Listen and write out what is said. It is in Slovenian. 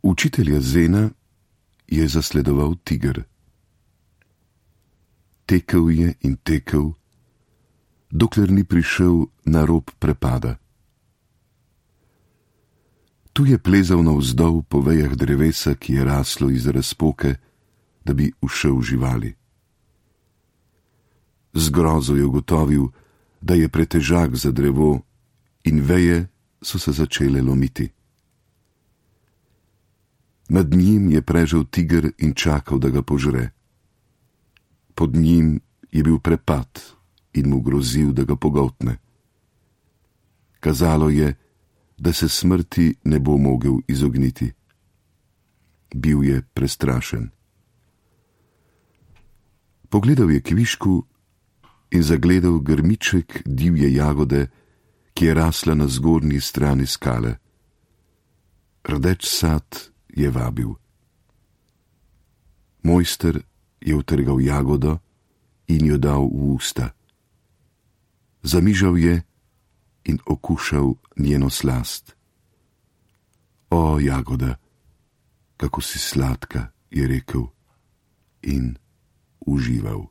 Učitelja Zena je zasledoval tiger. Tekel je in tekel, dokler ni prišel na rob prepada. Tu je plezal navzdol po vejah drevesa, ki je raslo iz razpoke, da bi ušel živali. Z grozo je ugotovil, da je pretežak za drevo in veje so se začele lomiti. Nad njim je prežal tiger in čakal, da ga požre. Pod njim je bil prepad in mu grozil, da ga pogoltne. Kazalo je, da se smrti ne bo mogel izogniti. Bil je prestrašen. Pogledal je kvišku in zagledal grmiček divje jagode, ki je rasla na zgornji strani skale. Rdeč sad je vabil. Mojster je utrgal jagodo in jo dal v usta. Zamižal je in okušal njeno slast. O, jagoda, kako si sladka, je rekel in užival.